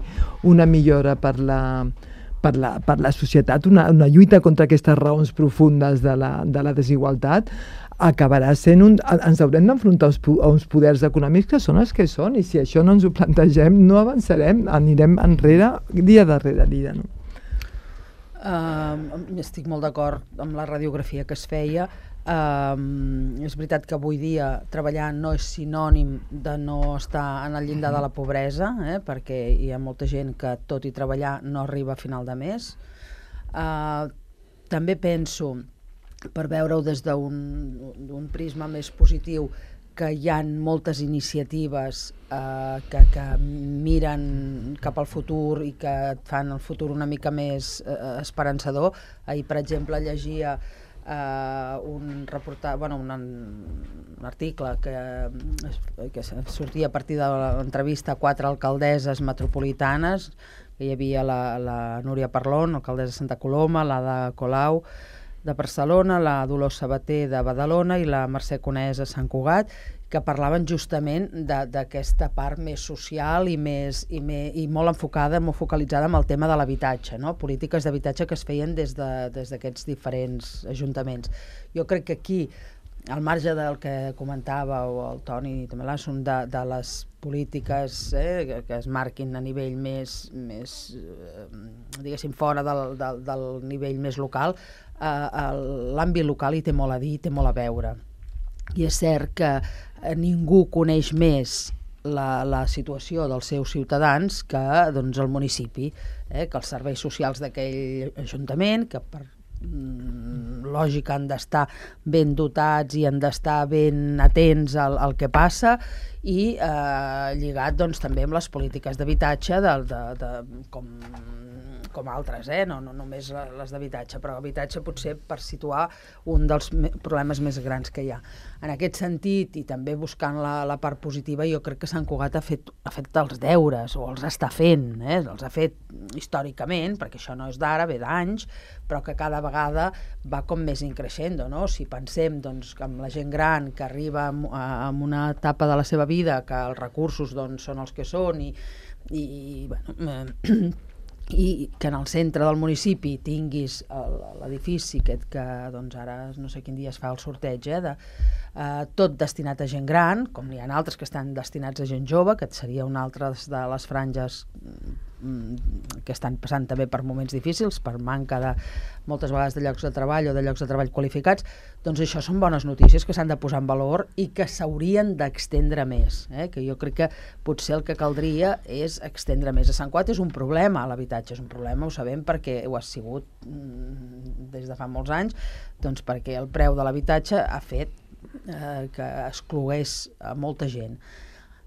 una millora per la, per la, per la societat, una, una lluita contra aquestes raons profundes de la, de la desigualtat, acabarà sent un... Ens haurem d'enfrontar a uns poders econòmics que són els que són, i si això no ens ho plantegem no avançarem, anirem enrere dia darrere dia, no? Uh, estic molt d'acord amb la radiografia que es feia. Uh, és veritat que avui dia treballar no és sinònim de no estar en el llindar de la pobresa, eh? Perquè hi ha molta gent que tot i treballar no arriba a final de mes. Uh, també penso, per veure-ho des d'un prisma més positiu, que hi ha moltes iniciatives eh, que, que miren cap al futur i que et fan el futur una mica més eh, esperançador. Ahir, per exemple, llegia eh, un, reporta, bueno, un, un article que, que sortia a partir de l'entrevista a quatre alcaldesses metropolitanes, que hi havia la, la Núria Parlon, alcaldessa de Santa Coloma, la de Colau, de Barcelona, la Dolors Sabater de Badalona i la Mercè Conesa a Sant Cugat, que parlaven justament d'aquesta part més social i, més, i, me, i molt enfocada, molt focalitzada amb el tema de l'habitatge, no? Polítiques d'habitatge que es feien des d'aquests de, diferents ajuntaments. Jo crec que aquí, al marge del que comentava o el Toni també l'Assun, de, de les polítiques eh, que, que es marquin a nivell més, més eh, diguéssim, fora del, del, del nivell més local, eh, l'àmbit local hi té molt a dir, té molt a veure. I és cert que eh, ningú coneix més la, la situació dels seus ciutadans que doncs, el municipi, eh, que els serveis socials d'aquell ajuntament, que per mm, lògica han d'estar ben dotats i han d'estar ben atents al, al que passa, i eh, lligat doncs, també amb les polítiques d'habitatge de, de, de, com, com altres, eh? no, no només les d'habitatge, però habitatge potser per situar un dels me problemes més grans que hi ha. En aquest sentit, i també buscant la, la part positiva, jo crec que Sant Cugat ha fet, ha fet els deures, o els està fent, eh? Els ha fet històricament, perquè això no és d'ara, ve d'anys, però que cada vegada va com més increixent, no? Si pensem doncs, que amb la gent gran que arriba en una etapa de la seva vida, que els recursos doncs, són els que són, i, i bueno, eh, i que en el centre del municipi tinguis l'edifici aquest que doncs ara no sé quin dia es fa el sorteig, eh, de, eh, tot destinat a gent gran, com n'hi ha altres que estan destinats a gent jove, que seria una altra de les franges que estan passant també per moments difícils, per manca de moltes vegades de llocs de treball o de llocs de treball qualificats. Doncs això són bones notícies que s'han de posar en valor i que s'haurien d'extendre més, eh? Que jo crec que potser el que caldria és extendre més. A Sant Cugat és un problema, l'habitatge és un problema, ho sabem perquè ho ha sigut mm, des de fa molts anys, doncs perquè el preu de l'habitatge ha fet eh, que exclogués a molta gent.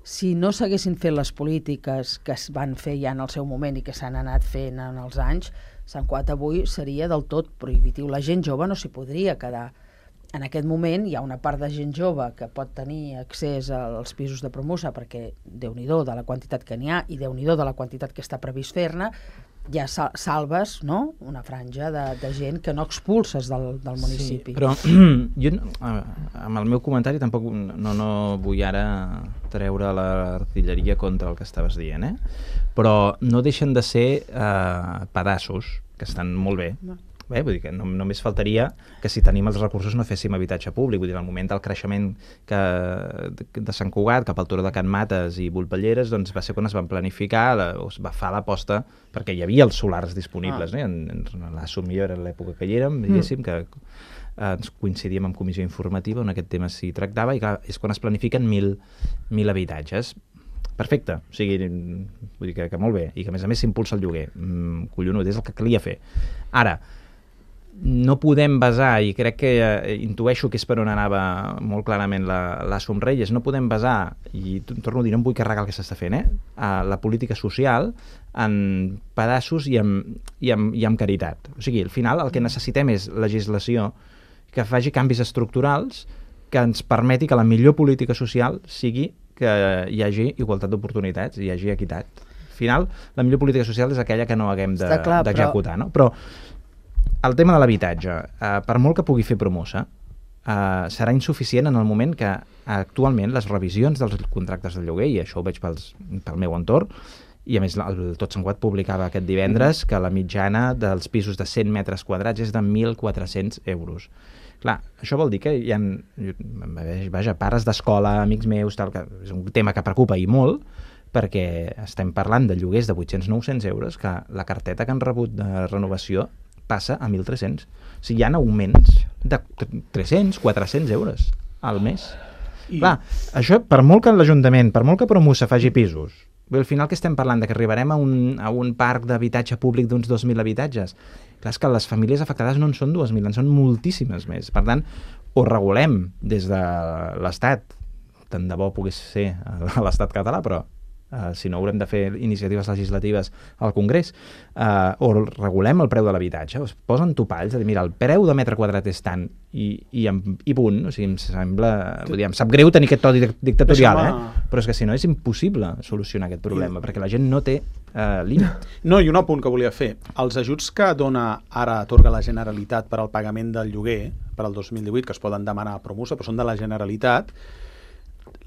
si no s'haguessin fet les polítiques que es van fer ja en el seu moment i que s'han anat fent en els anys, Sant Cugat avui seria del tot prohibitiu. La gent jove no s'hi podria quedar. En aquest moment hi ha una part de gent jove que pot tenir accés als pisos de Promusa perquè Déu-n'hi-do de la quantitat que n'hi ha i Déu-n'hi-do de la quantitat que està previst fer-ne, ja salves, no?, una franja de, de gent que no expulses del, del municipi. Sí, però jo amb el meu comentari tampoc no, no vull ara treure l'artilleria contra el que estaves dient, eh? Però no deixen de ser eh, pedaços que estan molt bé. No. Bé, vull dir que no, només faltaria que si tenim els recursos no féssim habitatge públic. Vull dir, al moment del creixement que, de, de Sant Cugat cap al Turó de Can Mates i Volpelleres, doncs va ser quan es van planificar, la, es va fer l'aposta, perquè hi havia els solars disponibles, ah. no? en, en l'Asso millor era l'època que hi érem, diguéssim, mm. que eh, ens coincidíem amb comissió informativa on aquest tema s'hi tractava, i clar, és quan es planifiquen mil, mil habitatges. Perfecte, o sigui, vull dir que, que molt bé, i que a més a més s'impulsa el lloguer. Mm, collonut, és el que calia fer. Ara, no podem basar, i crec que eh, intueixo que és per on anava molt clarament la, la Somreyes, no podem basar, i torno a dir, no em vull carregar el que s'està fent, eh, a la política social en pedaços i amb, i, amb, i amb caritat. O sigui, al final el que necessitem és legislació que faci canvis estructurals que ens permeti que la millor política social sigui que hi hagi igualtat d'oportunitats, hi hagi equitat. Al final, la millor política social és aquella que no haguem d'executar, de, però... no? Però el tema de l'habitatge, eh, per molt que pugui fer Promusa, eh, serà insuficient en el moment que actualment les revisions dels contractes de lloguer, i això ho veig pels, pel meu entorn, i a més el Tot Sant Cugat publicava aquest divendres que la mitjana dels pisos de cent metres quadrats és de mil quatre-cents euros. Clar, això vol dir que hi ha, vaja, pares d'escola, amics meus, tal, que és un tema que preocupa i molt, perquè estem parlant de lloguers de vuit-cents a nou-cents euros, que la carteta que han rebut de renovació passa a mil tres-cents. O sigui, hi ha augments de tres-cents, quatre-cents euros al mes. I... Clar, això, per molt que l'Ajuntament, per molt que Promusa faci pisos, al final que estem parlant de que arribarem a un, a un parc d'habitatge públic d'uns dos mil habitatges. Clar, és que les famílies afectades no en són dos mil, en són moltíssimes més. Per tant, o regulem des de l'Estat, tant de bo pogués ser a l'Estat català, però Uh, si no haurem de fer iniciatives legislatives al Congrés, uh, o regulem el preu de l'habitatge, es posen topalls de dir, mira, el preu de metre quadrat és tant i, i, i punt, o sigui, em sembla, vull dir, em sap greu tenir aquest to dictatorial, eh? Però és que si no és impossible solucionar aquest problema, I... perquè la gent no té uh, límit. No, i un apunt que volia fer, els ajuts que dona ara, atorga la Generalitat per al pagament del lloguer per al dos mil divuit, que es poden demanar a Promusa, però són de la Generalitat.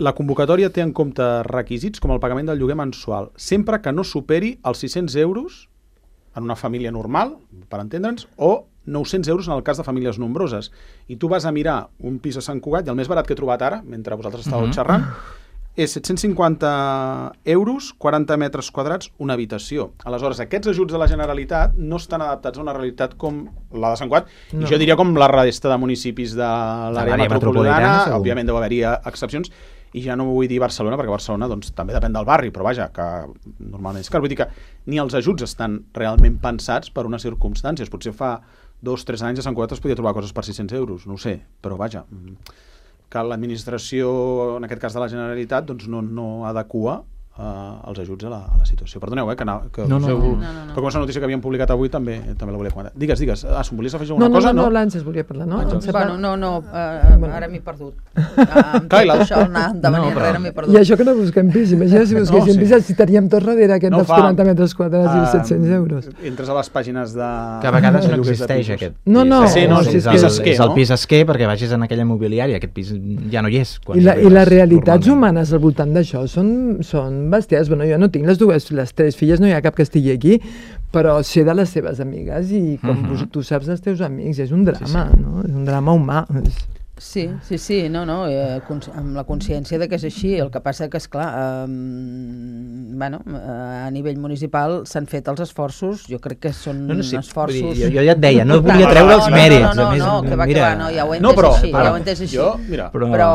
La convocatòria té en compte requisits com el pagament del lloguer mensual, sempre que no superi els sis-cents euros en una família normal, per entendre'ns, o nou-cents euros en el cas de famílies nombroses. I tu vas a mirar un pis a Sant Cugat, i el més barat que he trobat ara, mentre vosaltres estàveu uh-huh. xerrant, és set-cents cinquanta euros, quaranta metres quadrats, una habitació. Aleshores, aquests ajuts de la Generalitat no estan adaptats a una realitat com la de Sant Cugat, no. I jo diria com la resta de municipis de l'àrea metropolitana, metropolitana òbviament deu haver-hi excepcions, i ja no vull dir Barcelona, perquè Barcelona doncs, també depèn del barri, però vaja, que normalment és car. Vull dir que ni els ajuts estan realment pensats per unes circumstàncies. Potser fa dos o tres anys a Sant Cugat es podia trobar coses per sis-cents euros, no ho sé, però vaja, que l'administració, en aquest cas de la Generalitat, doncs no, no adequa Uh, els ajuts a la, a la situació. Perdoneu, eh, que, na, que no, no, no, no, no, no. Però com és una notícia que havíem publicat avui també també la volia comentar. Digues, digues. Ah, si em volies afegir alguna no, no, cosa? No, no, no, no, l'Àngels volia parlar, no? Ah, bueno, no, no, uh, bueno. Ara m'he perdut. Uh, amb tot la... això, anar endavant no, i enrere m'he perdut. I això que no busquem pis, imagina si busquéssim no, sí. pis, si teníem tot darrere aquest no, dels quaranta metres quadrats uh, i els set-cents euros. Entres a les pàgines de... Que a vegades no existeix aquest pis. No, no. Sí, no, és, és, el, és el pis esquer perquè vagis en aquella immobiliària, aquest pis ja no hi és. I, la, i les realitats humanes al voltant d'això són, són bèsties. Bueno, jo no tinc les dues les tres filles, no hi ha cap que estigui aquí, però sé de les seves amigues i com uh-huh. tu saps dels teus amics, és un drama, sí, sí. no? És un drama humà. Sí, sí, sí, no, no, eh, amb la consciència de que és així. El que passa que, esclar, eh, bueno, a nivell municipal s'han fet els esforços, jo crec que són no, no, sí, esforços... Dir, jo, jo ja et deia, no volia treure els mèrits. No, no, no, a més, no, que va, mira... que va, no, ja ho he entès no, però, així, ara, ja ho he entès així. Jo, mira, però... però...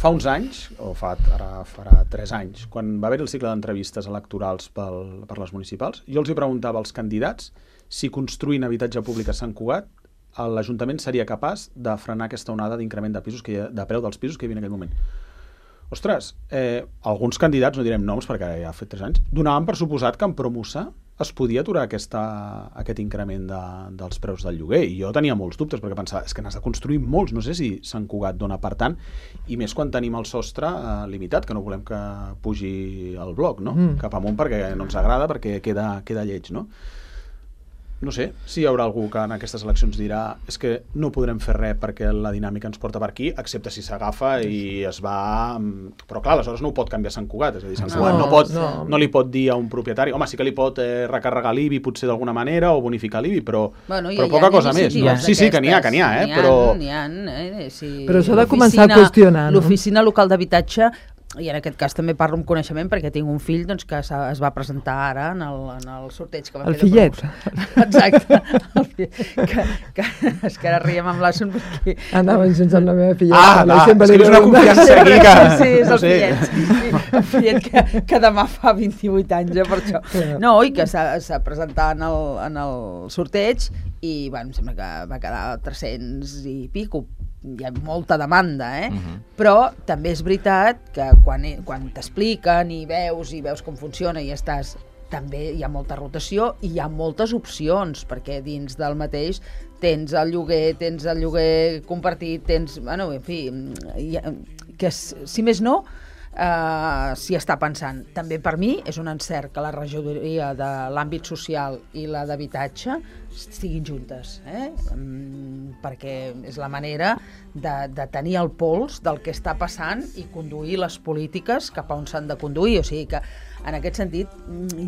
fa uns anys, o fa, ara farà tres anys, quan va haver el cicle d'entrevistes electorals pel, per les municipals, jo els hi preguntava als candidats si construint habitatge públic a Sant Cugat l'Ajuntament seria capaç de frenar aquesta onada d'increment de pisos que ha, de preu dels pisos que hi havia en aquell moment. ostres, eh, alguns candidats, no direm noms perquè ja ha fet tres anys, donaven per suposat que en Promusa es podia aturar aquesta, aquest increment de, dels preus del lloguer, i jo tenia molts dubtes perquè pensava, és que n'has de construir molts, no sé si Sant Cugat dona per tant, i més quan tenim el sostre eh, limitat, que no volem que pugi el bloc, no? Mm. cap amunt perquè no ens agrada, perquè queda, queda lleig, no? No sé si hi haurà algú que en aquestes eleccions dirà és que no podrem fer res perquè la dinàmica ens porta per aquí, excepte si s'agafa i es va... Però clar, aleshores no ho pot canviar Sant Cugat, és a dir, Sant Cugat no, no, pot, no. no li pot dir a un propietari, home, sí que li pot eh, recarregar l'I B I potser d'alguna manera o bonificar l'I B I, però, bueno, però poca cosa més. No? Sí, sí, que n'hi ha, que n'hi ha, eh? N'hi ha, però... ha, eh? Sí. Però s'ha de començar a qüestionar, no? L'oficina local d'habitatge, i en aquest cas també parlo amb coneixement perquè tinc un fill doncs, que es va presentar ara en el, en el sorteig que va el fer fillet. Exacte, el fillet. Que, que, és que ara riem amb l'Assun perquè... Anaven sense amb la meva filla. Ah, ah és que és una confiança aquí que... Sí, és no el sé. fillet, sí, sí, el fillet que, que demà fa vint-i-vuit anys, eh, per això. No, i que s'ha presentat en el, en el sorteig i bueno, em sembla que va quedar tres-cents i pico. Hi ha molta demanda, eh? Uh-huh. Però també és veritat que quan, quan t'expliquen i veus i veus com funciona i estàs, també hi ha molta rotació i hi ha moltes opcions, perquè dins del mateix tens el lloguer, tens el lloguer compartit, tens... Bueno, en fi, ha, que si més no, Uh, s'hi està pensant. També per mi és un encert que la regidoria de l'àmbit social i la d'habitatge estiguin juntes, eh? um, perquè és la manera de, de tenir el pols del que està passant i conduir les polítiques cap a on s'han de conduir. O sigui que en aquest sentit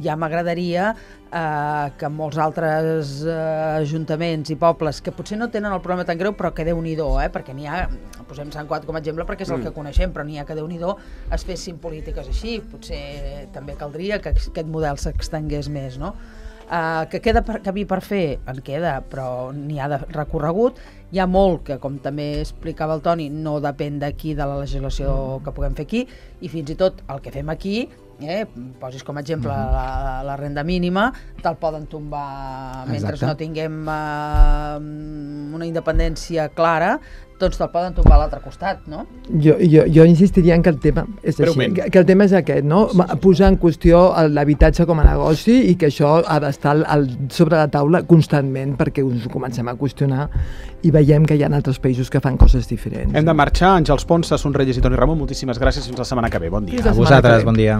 ja m'agradaria eh, que molts altres eh, ajuntaments i pobles que potser no tenen el problema tan greu, però que Déu-n'hi-do, eh, perquè n'hi ha, posem Sant Cugat com a exemple perquè és el que coneixem, però n'hi ha que Déu-n'hi-do es fessin polítiques així. Potser també caldria que aquest model s'extengués més, no? Uh, que queda per, camí per fer, en queda, però n'hi ha de recorregut. Hi ha molt que, com també explicava el Toni, no depèn d'aquí, de la legislació que puguem fer aquí, i fins i tot el que fem aquí, eh, posis com a exemple la, la renda mínima, te'l poden tombar mentre Exacte. no tinguem uh, una independència clara, doncs te'l poden tombar a l'altre costat, no? Jo, jo, jo insistiria en que el tema és així, que, que el tema és aquest, no? Sí, sí. Posar en qüestió l'habitatge com a negoci i que això ha d'estar al, sobre la taula constantment perquè us ho comencem a qüestionar i veiem que hi ha altres països que fan coses diferents. Hem de marxar. Àngels Ponsa, Son Reyes i Toni Ramon, moltíssimes gràcies. Fins la setmana que ve. Bon dia. A vosaltres, bon dia.